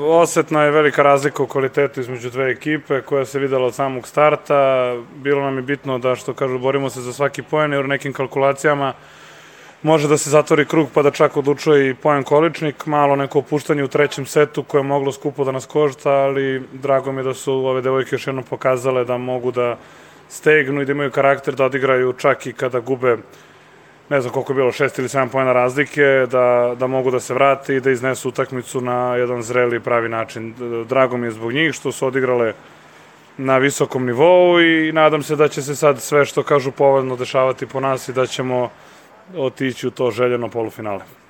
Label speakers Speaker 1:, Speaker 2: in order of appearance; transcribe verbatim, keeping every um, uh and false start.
Speaker 1: Osetna je velika razlika u kvalitetu između dve ekipe koja se videla od samog starta. Bilo nam je bitno da, što kažu, borimo se za svaki poen, jer u nekim kalkulacijama može da se zatvori krug pa da čak odlučuje i poen količnik. Malo neko opuštanje u trećem setu koje je moglo skupo da nas košta, ali drago mi je da su ove devojke još jednom pokazale da mogu da stegnu i da imaju karakter da odigraju čak i kada gube, ne znam koliko je bilo, šest ili sedam poena razlike, da, da mogu da se vrate i da iznesu utakmicu na jedan zreli pravi način. Drago mi je zbog njih što su odigrale na visokom nivou i nadam se da će se sad sve što kažu povoljno dešavati po nas i da ćemo otići u to željeno polufinale.